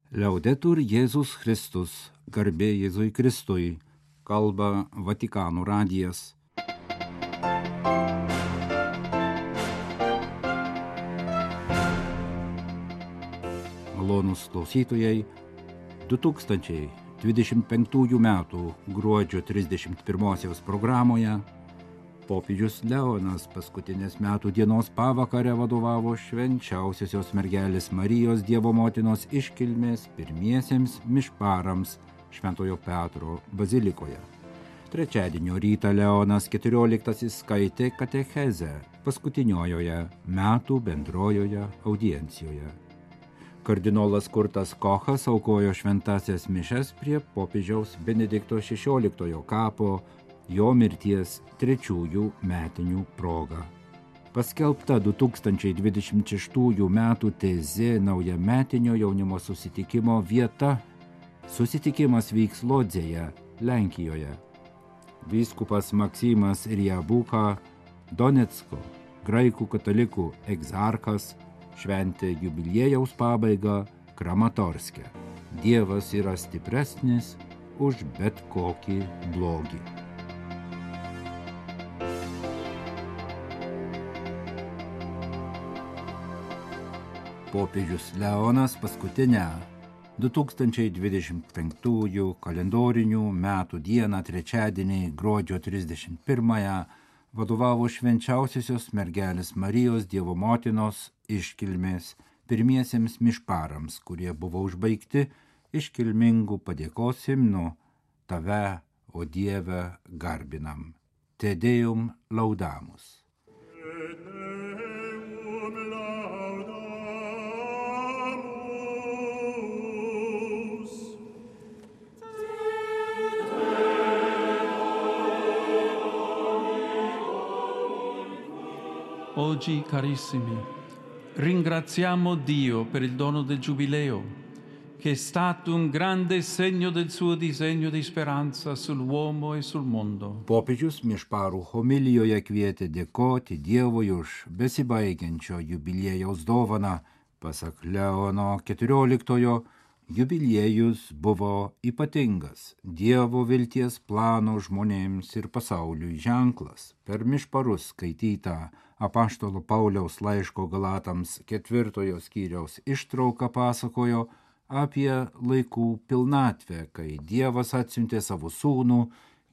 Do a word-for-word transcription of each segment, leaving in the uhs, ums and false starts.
Liaudetur Jėzus Kristus, garbė Jėzui Kristui, kalba Vatikano radijas. Malonūs klausytojai, du tūkstančiai dvidešimt penktųjų metų gruodžio trisdešimt pirmosios programoje popiežius Leonas paskutinės metų dienos pavakarę vadovavo švenčiausiosios mergelės Marijos Dievo motinos iškilmės pirmiesiems mišparams Šventojo Petro bazilikoje. Trečiadienio rytą Leonas keturioliktasis skaitė katechezę paskutiniojoje metų bendrojoje audiencijoje. Kardinolas Kurtas Kochas aukojo šventasias mišes prie popiežiaus Benedikto šešioliktojo kapo jo mirties trečiųjų metinių proga. Paskelbta du tūkstančiai dvidešimt šeštųjų metų tezė naujametinio jaunimo susitikimo vieta. Susitikimas vyks Lodzėje, Lenkijoje. Vyskupas Maksimas Riabuka, Donecko, graikų katalikų egzarchas, šventė jubiliejaus pabaigą Kramatorske. Dievas yra stipresnis už bet kokį blogį. Popiežius Leonas paskutinę du tūkstančiai dvidešimt penktųjų kalendorinių metų dieną trečiadienį gruodžio trisdešimt pirmąją vadovavo švenčiausiosios mergelės Marijos Dievo motinos iškilmės pirmiesiems mišparams, kurie buvo užbaigti iškilmingų padėkos himnu Tave, o Dieve, garbinam. Te Deum laudamus. Oggi, carissimi, ringraziamo Dio per il dono del Giubileo, che è stato un grande segno del suo disegno di speranza sull'uomo e sul mondo. Popiežius mišparų homilijoje kvietė dėkoti Dievui už besibaigiančio jubiliejaus dovaną. Pasak Leono keturioliktojo, jubiliejus buvo ypatingas Dievo vilties plano žmonėms ir pasauliui ženklas. Per mišparus skaitytą apaštalo Pauliaus laiško Galatams ketvirtojo skyriaus ištrauką pasakojo apie laikų pilnatvę, kai Dievas atsiuntė savo sūnų,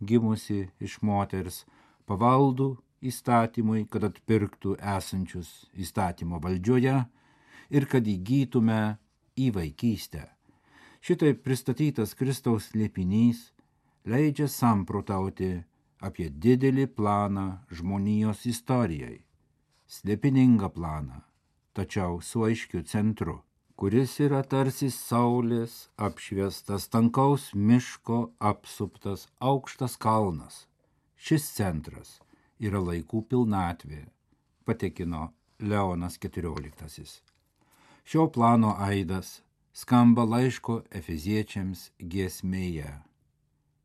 gimusi iš moters, pavaldų įstatymui, kad atpirktų esančius įstatymo valdžioje ir kad įgytume į vaikystę. Šitaip pristatytas Kristaus slėpinys leidžia samprotauti apie didelį planą žmonijos istorijai. Slėpiningą planą, tačiau su aiškiu centru, kuris yra tarsi saulės apšviestas tankaus miško apsuptas aukštas kalnas. Šis centras yra laikų pilnatvė, patikino Leonas keturioliktasis. Šio plano aidas skamba laiško Efeziečiams giesmėje.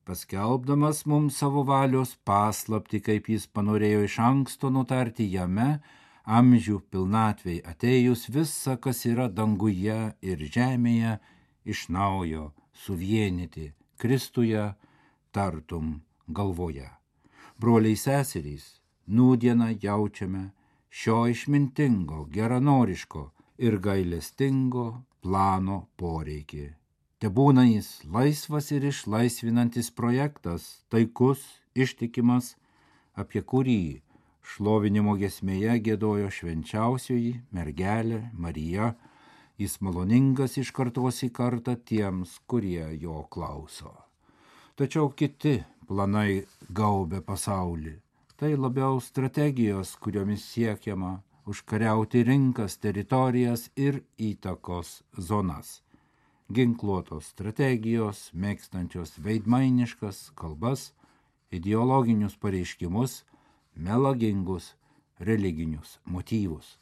Paskelbdamas mums savo valios paslaptį, kaip jis panorėjo iš anksto nutarti jame, amžių pilnatvei atėjus visa, kas yra danguje ir žemėje, iš naujo suvienyti Kristuje, tartum galvoje. Broliai seserys, nūdieną jaučiame šio išmintingo, geranoriško ir gailestingo plano poreikį. Tebūna jis laisvas ir išlaisvinantis projektas, taikus, ištikimas, apie kurį šlovinimo giesmėje giedojo švenčiausioji mergelė Marija, jis maloningas iš kartos į kartą tiems, kurie jo klauso. Tačiau kiti planai gaubia pasaulį. Tai labiau strategijos, kuriomis siekiama užkariauti rinkas, teritorijas ir įtakos zonas. Ginkluotos strategijos, mėgstančios veidmainiškas kalbas, ideologinius pareiškimus, melagingus religinius motyvus.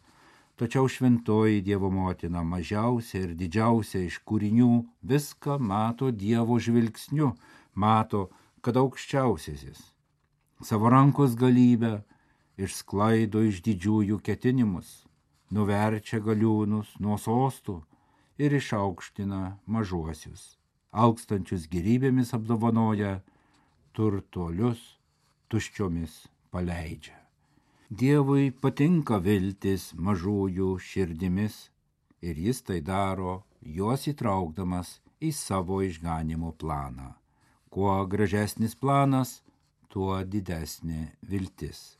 Tačiau šventoji Dievo motina, mažiausia ir didžiausia iš kūrinių, viską mato Dievo žvilgsniu, mato, kad aukščiausiasis savo rankos galybę išsklaido iš didžiųjų ketinimus, nuverčia galiūnus nuo sostų ir išaukština mažuosius, alkstančius gėrybėmis apdovanoja, turtuolius tuščiomis paleidžia. Dievui patinka viltis mažųjų širdimis ir jis tai daro, juos įtraukdamas į savo išganimo planą. Kuo gražesnis planas, tuo didesnė viltis.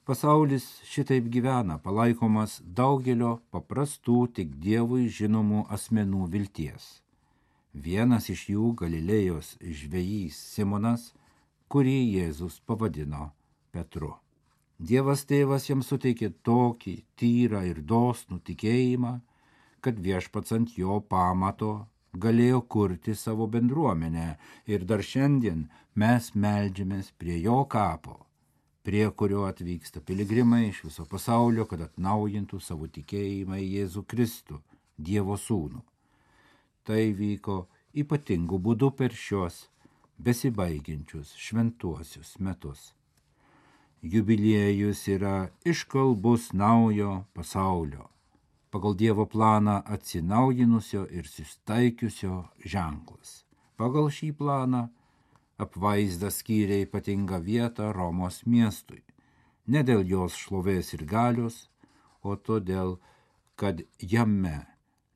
Pasaulis šitaip gyvena, palaikomas daugelio paprastų tik Dievui žinomų asmenų vilties. Vienas iš jų Galilėjos žvejys Simonas, kurį Jėzus pavadino Petru. Dievas tėvas jam suteikė tokį tyrą ir dosnų tikėjimą, kad viešpats ant jo pamato galėjo kurti savo bendruomenę ir dar šiandien mes meldžiamės prie jo kapo, prie kurio atvyksta piligrimai iš viso pasaulio, kad atnaujintų savo tikėjimą į Jėzų Kristų, Dievo sūnų. Tai vyko ypatingų būdų per šios besibaigiančius šventuosius metus. Jubiliejus yra iškalbus naujo pasaulio, pagal Dievo planą atsinaujinusio ir sustaikiusio ženklas. Pagal šį planą apvaizdas skyrė ypatingą vietą Romos miestui, ne dėl jos šlovės ir galios, o todėl, kad jame,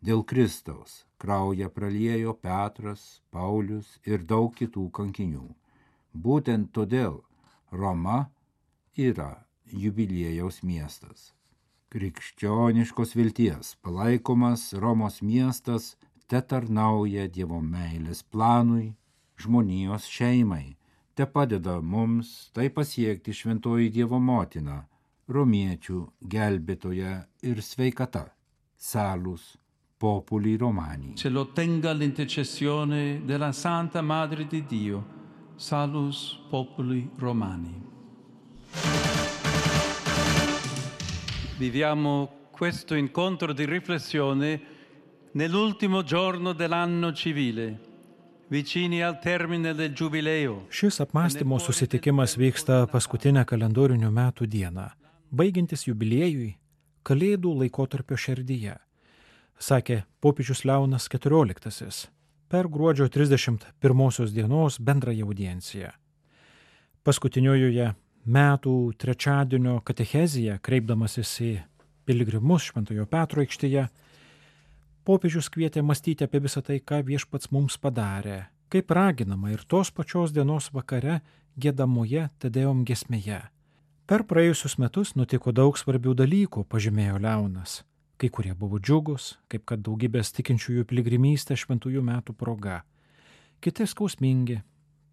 dėl Kristaus, kraują praliejo Petras, Paulius ir daug kitų kankinių. Būtent todėl Roma yra jubiliejaus miestas. Krikščioniškos vilties palaikomas Romos miestas tetarnauja Dievo meilės planui, žmonijos šeimai, te padeda mums tai pasiekti šventoji Dievo motina, romiečių gelbėtoja ir sveikata, salus populi romani. Ce lo tenga l'intercessione della Santa Madre di Dio, salus populi romani. Viviamo questo incontro di riflessione nell'ultimo giorno dell'anno civile, vicini al termine del giubileo. Šis apmąstymo susitikimas vyksta paskutinę kalendorinių metų dieną, baigiantis jubiliejui Kalėdų laikotarpio šerdyje, sakė popiežius Leonas keturioliktasis per gruodžio trisdešimt pirmosios dienos bendrąją audienciją. Paskutiniojoje metų trečiadienio katechezija, kreipdamasis į piligrimus Šventojo Petro aikštėje, popiežius kvietė mąstyti apie visą tai, ką viešpats mums padarė, kaip raginama ir tos pačios dienos vakare giedamoje Tedeum giesmėje. Per praėjusius metus nutiko daug svarbių dalykų, pažymėjo Leonas. Kai kurie buvo džiugus, kaip kad daugybės tikinčiųjų piligrimystė šventųjų metų proga. Kiti skausmingi,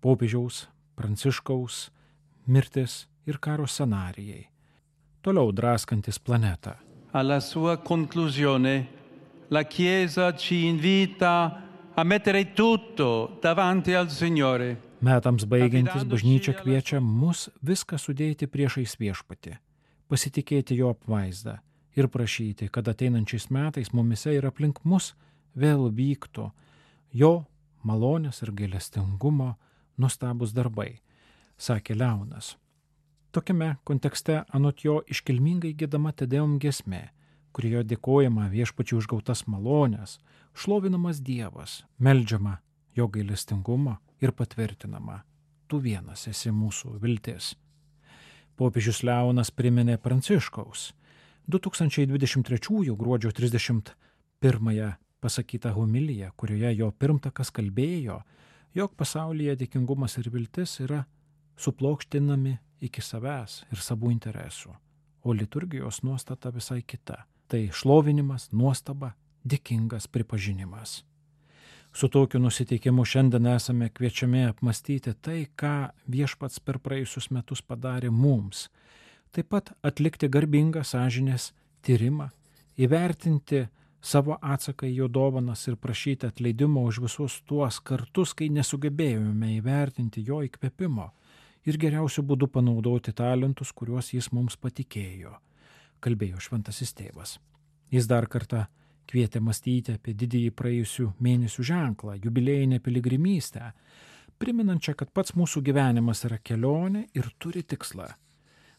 popiežiaus, Pranciškaus, mirtis ir karo scenarijai, toliau draskantis planetą. Alla sua conclusione, la Chiesa ci invita a mettere tutto davanti al Signore. Metams baigiantis bažnyčia kviečia mus viską sudėti priešais viešpatį, pasitikėti jo apvaizdą ir prašyti, kad ateinančiais metais mumise ir aplink mus vėl vyktų jo malonės ir gailestingumo nuostabūs darbai, sakė Leonas. Tokiame kontekste anot jo iškilmingai giedama Tedeum giesmė, kurioje dėkojama viešpačiui už gautas malonės, šlovinamas Dievas, meldžiama jo gailestingumo ir patvirtinama, tu vienas esi mūsų viltis. Popiežius Leonas priminė Pranciškaus du tūkstančiai dvidešimt trečiųjų gruodžio trisdešimt pirmąją pasakytą homiliją, kurioje jo pirmtakas kalbėjo, jog pasaulyje dėkingumas ir viltis yra suplokštinami iki savęs ir savų interesų, o liturgijos nuostata visai kita. Tai šlovinimas, nuostaba, dėkingas pripažinimas. Su tokiu nusiteikimu šiandien esame kviečiami apmastyti tai, ką viešpats per praėjusius metus padarė mums. Taip pat atlikti garbingą sąžinės tyrimą, įvertinti savo atsaką į jo dovanas ir prašyti atleidimo už visus tuos kartus, kai nesugebėjome įvertinti jo įkvėpimo ir geriausiu būdu panaudoti talentus, kuriuos jis mums patikėjo, kalbėjo šventasis tėvas. Jis dar kartą kvietė mąstyti apie didįjį praėjusių mėnesių ženklą, jubiliejinę piligrimystę, priminančią, kad pats mūsų gyvenimas yra kelionė ir turi tikslą.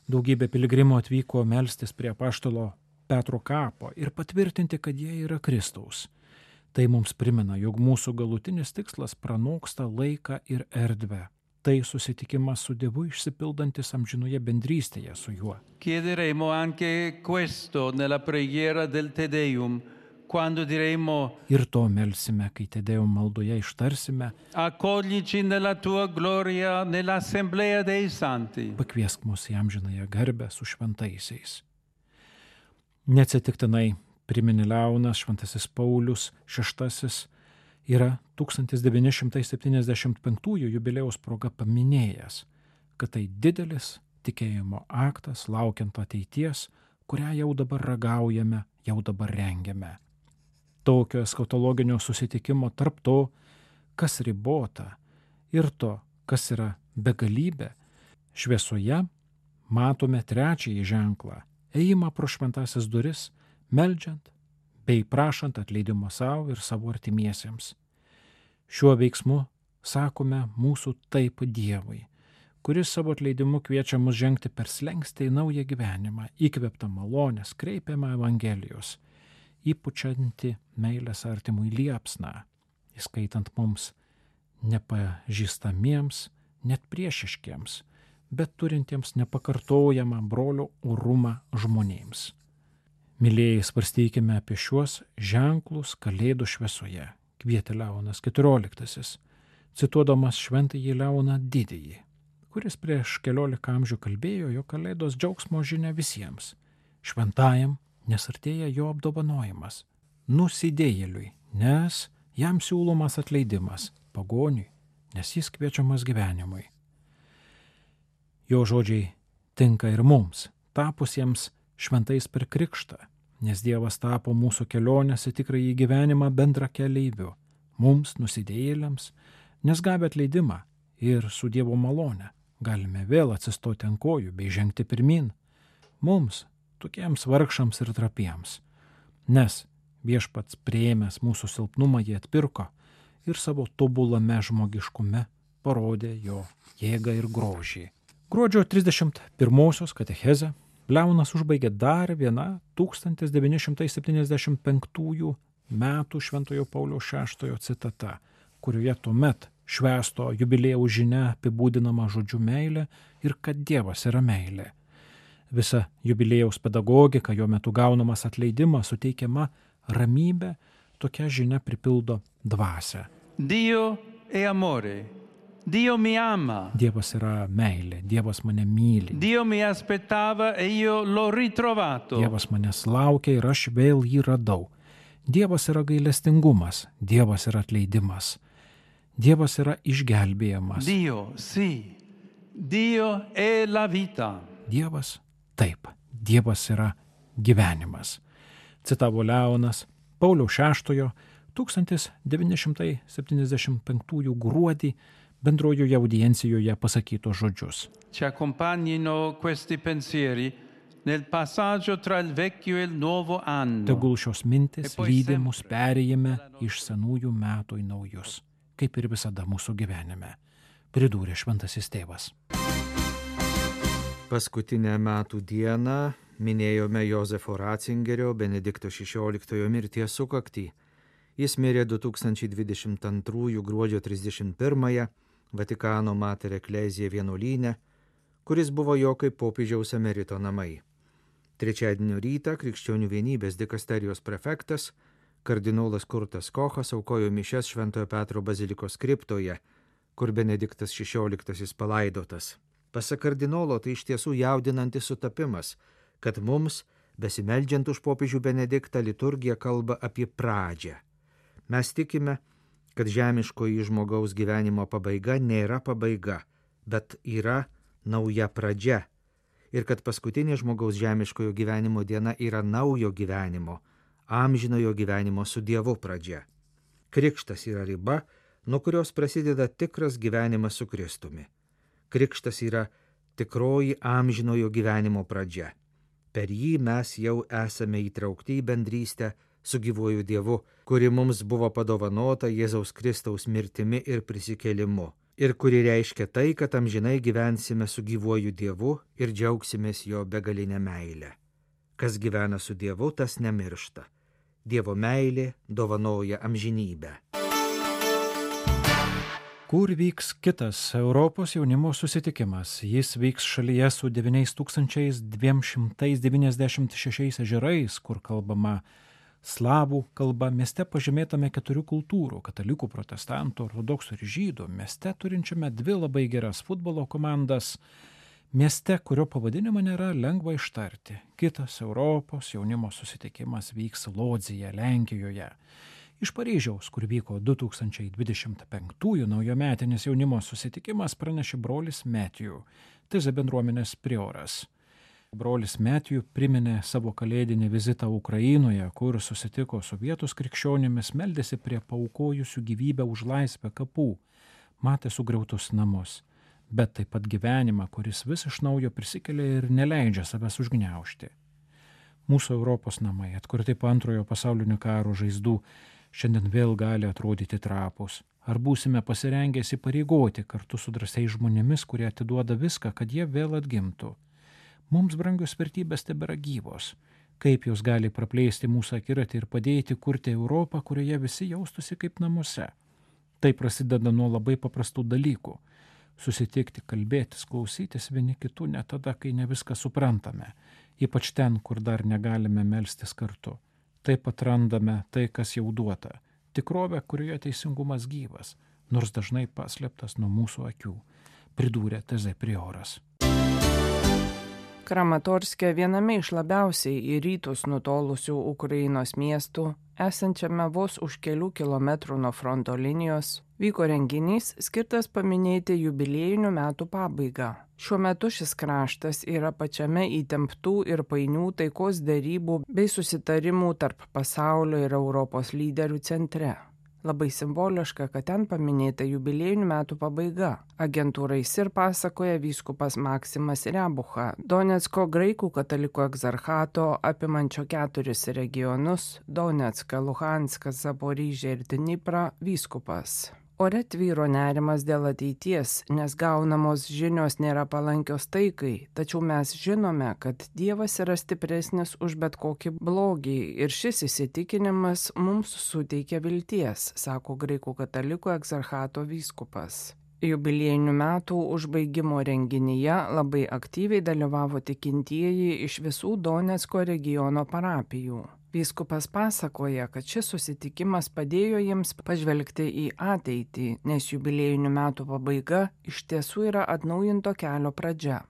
Daugybė piligrimų atvyko melstis prie apaštalo Petro kapo ir patvirtinti, kad jie yra Kristaus. Tai mums primena, jog mūsų galutinis tikslas pranoksta laiką ir erdvę. Tai susitikimas su Dievu išsipildantis amžinoje bendrystėje su juo. Chiederemo anche questo nella preghiera del Te Deum, quando diremo Ir to melsime, kai Te Deum maldoje ištarsime: accoglici nella tua gloria nell'assemblea dei santi. Pakviesk mus į amžinąją garbę su šventaisiais. Neatsitiktinai priminė Leonas Šventasis Paulius šeštasis yra tūkstantis devyni šimtai septyniasdešimt penktųjų jubiliejaus proga paminėjęs, kad tai didelis tikėjimo aktas laukiant ateities, kurią jau dabar ragaujame, jau dabar rengiame. Tokio eskatologinio susitikimo tarp to, kas ribota, ir to, kas yra begalybė, šviesoje matome trečiąjį ženklą – ėjimą pro šventąsias duris, meldžiant bei prašant atleidimo savo ir savo artimiesiems. Šiuo veiksmu sakome mūsų taip Dievui, kuris savo atleidimu kviečia mus žengti per slenkstį į naują gyvenimą, įkvėptą malonės, kreipiamą Evangelijos, įpučianti meilės artimui liepsną, įskaitant mums nepažįstamiems, net priešiškiems, bet turintiems nepakartojamą brolio orumą žmonėms. Mylėjai, svarstykime apie šiuos ženklus Kalėdų šviesoje, kvietė Leonas keturioliktasis, cituodamas šventąjį Leoną Didįjį, kuris prieš keliolika amžių kalbėjo, jog Kalėdos džiaugsmo žinia visiems, šventajam, nes artėja jo apdovanojimas, nusidėjėliui, nes jam siūlomas atleidimas, pagoniui, nes jis kviečiamas gyvenimui. Jo žodžiai tinka ir mums, tapusiems šventais per krikštą, nes Dievas tapo mūsų kelionės į tikrąjį gyvenimą bendra keleiviu, mums nusidėjėliams, nes gavę atleidimą ir su Dievo malone galime vėl atsistoti ant kojų bei žengti pirmin, mums, tokiems vargšams ir trapiems, nes Viešpats priėmęs mūsų silpnumą jį atpirko ir savo tobulame žmogiškume parodė jo jėgą ir grožį. Gruodžio trisdešimt pirmosios katechezę Leonas užbaigė dar viena tūkstantis devyni šimtai septyniasdešimt penktųjų metų Šventojo Pauliaus šeštojo citata, kurioje tuomet švęsto jubiliejaus žinia apibūdinama žodžiu meilė ir kad Dievas yra meilė. Visa jubiliejaus pedagogika, jo metu gaunamas atleidimas, suteikiama ramybė, tokia žinia pripildo dvasią. Dio è amore. Dio mi ama. Dievas yra meilė, Dievas mane myli. Dio mi aspettava e io l'ho ritrovato. Dievas manęs laukia ir aš vėl jį radau. Dievas yra gailestingumas, Dievas yra atleidimas. Dievas yra išgelbėjimas. Dio, sì. Dio è la vita. Dievas, taip, Dievas yra gyvenimas. Citavo Leonas Pauliaus šeštojo tūkstantis devyni šimtai septyniasdešimt penktųjų gruodį bendrojoje audiencijoje pasakytos žodžius. Ci accompagnino questi pensieri nel passaggio tra il vecchio e il nuovo anno. Tegul šios mintis lydi mus perėjime iš senųjų metų į naujus, kaip ir visada mūsų gyvenime, pridūrė šventasis tėvas. Paskutinę metų dieną minėjome Jozefo Ratzingerio Benedikto šešioliktojo mirties sukaktį. Jis mirė du tūkstančiai dvidešimt antrųjų gruodžio trisdešimt pirmąją Vatikano Mater Ecclesiae vienuolyne, kuris buvo jo kaip popiežiaus emerito namai. Trečiadienio rytą Krikščionių vienybės dikasterijos prefektas kardinolas Kurtas Kochas aukojo mišias Šventojo Petro bazilikos kriptoje, kur Benediktas šešioliktasis palaidotas. Pasak kardinolo, tai iš tiesų jaudinantis sutapimas, kad mums, besimeldžiant už popiežių Benediktą, liturgija kalba apie pradžią. Mes tikime, kad žemiškoji žmogaus gyvenimo pabaiga nėra pabaiga, bet yra nauja pradžia. Ir kad paskutinė žmogaus žemiškojo gyvenimo diena yra naujo gyvenimo, amžinojo gyvenimo su Dievu pradžia. Krikštas yra riba, nuo kurios prasideda tikras gyvenimas su Kristumi. Krikštas yra tikroji amžinojo gyvenimo pradžia. Per jį mes jau esame įtraukti į bendrystę su gyvuoju Dievu, kuri mums buvo padovanota Jėzaus Kristaus mirtimi ir prisikėlimu, ir kuri reiškia tai, kad amžinai gyvensime su gyvuoju Dievu ir džiaugsimės jo begalinę meilę. Kas gyvena su Dievu, tas nemiršta. Dievo meilė dovanoja amžinybę. Kur vyks kitas Europos jaunimo susitikimas? Jis vyks šalyje su devyni tūkstančiai du šimtai devyniasdešimt šešiais ežerais, kur kalbama slavų kalba, mieste pažymėtame keturių kultūrų – katalikų, protestantų, ortodoksų ir žydų, mieste turinčiame dvi labai geras futbolo komandas, mieste, kurio pavadinimą nėra lengva ištarti. Kitas Europos jaunimo susitikimas vyks Lodzėje, Lenkijoje. Iš Paryžiaus, kur vyko du tūkstančiai dvidešimt penktųjų naujametinis jaunimo susitikimas, pranešė brolis Matthew, Teze bendruomenės prioras. Brolis Matthew priminė savo kalėdinį vizitą Ukrainoje, kur susitiko su vietos krikščionimis, meldėsi prie paaukojusių gyvybę už laisvę kapų, matė sugriautus namus, bet taip pat gyvenimą, kuris vis iš naujo prisikelia ir neleidžia savęs užgniaužti. Mūsų Europos namai, atkurti po antrojo pasaulinio karo žaizdų, šiandien vėl gali atrodyti trapus. Ar būsime pasirengę įsipareigoti kartu su drąsiais žmonėmis, kurie atiduoda viską, kad jie vėl atgimtų? Mums brangios vertybės tebėra gyvos. Kaip jos gali praplėsti mūsų akiratį ir padėti kurti Europą, kurioje visi jaustųsi kaip namuose? Tai prasideda nuo labai paprastų dalykų. Susitikti, kalbėtis, klausytis vieni kitų net tada, kai ne viską suprantame, ypač ten, kur dar negalime melstis kartu. Taip atrandame tai, kas jau duota, tikrovę, kurioje teisingumas gyvas, nors dažnai paslėptas nuo mūsų akių, pridūrė Teze prioras. Kramatorske, viename iš labiausiai į rytus nutolusių Ukrainos miestų, esančiame vos už kelių kilometrų nuo fronto linijos, vyko renginys skirtas paminėti jubiliejinių metų pabaigą. Šiuo metu šis kraštas yra pačiame įtemptų ir painių taikos derybų bei susitarimų tarp pasaulio ir Europos lyderių centre. Labai simboliška, kad ten paminėta jubiliejinių metų pabaiga. Agentūrai S I R pasakoja vyskupas Maksimas Rebucha, Donecko graikų katalikų egzarchato apimančio keturis regionus – Donecką, Luhanską, Zaporižę ir Dniprą vyskupas. Ore tvyro nerimas dėl ateities, nes gaunamos žinios nėra palankios taikai, tačiau mes žinome, kad Dievas yra stipresnis už bet kokį blogį ir šis įsitikinimas mums suteikia vilties, sako graikų katalikų egzarchato vyskupas. Jubiliejinių metų užbaigimo renginyje labai aktyviai dalyvavo tikintieji iš visų Donecko regiono parapijų. Vyskupas pasakoja, kad šis susitikimas padėjo jiems pažvelgti į ateitį, nes jubiliejinių metų pabaiga iš tiesų yra atnaujinto kelio pradžia.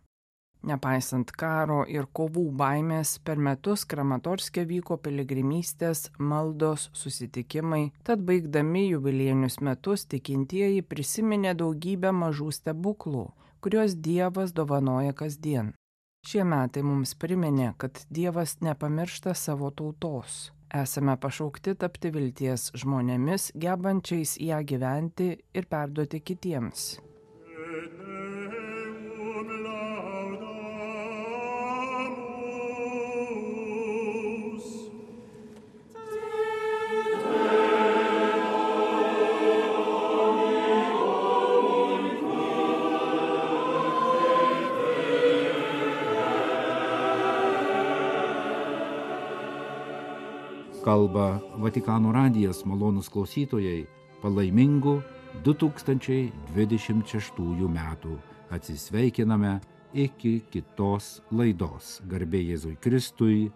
Nepaisant karo ir kovų baimės, per metus Kramatorske vyko piligrimystės, maldos, susitikimai, tad baigdami jubiliejinius metus tikintieji prisiminė daugybę mažų stebuklų, kuriuos Dievas dovanoja kasdien. Šie metai mums priminė, kad Dievas nepamiršta savo tautos. Esame pašaukti tapti vilties žmonėmis, gebančiais ją gyventi ir perduoti kitiems. Kalba Vatikano radijas, malonūs klausytojai, palaimingų du tūkstančiai dvidešimt šeštųjų metų. Atsisveikiname iki kitos laidos. Garbė Jėzui Kristui,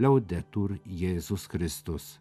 Liaudetur Jėzus Kristus.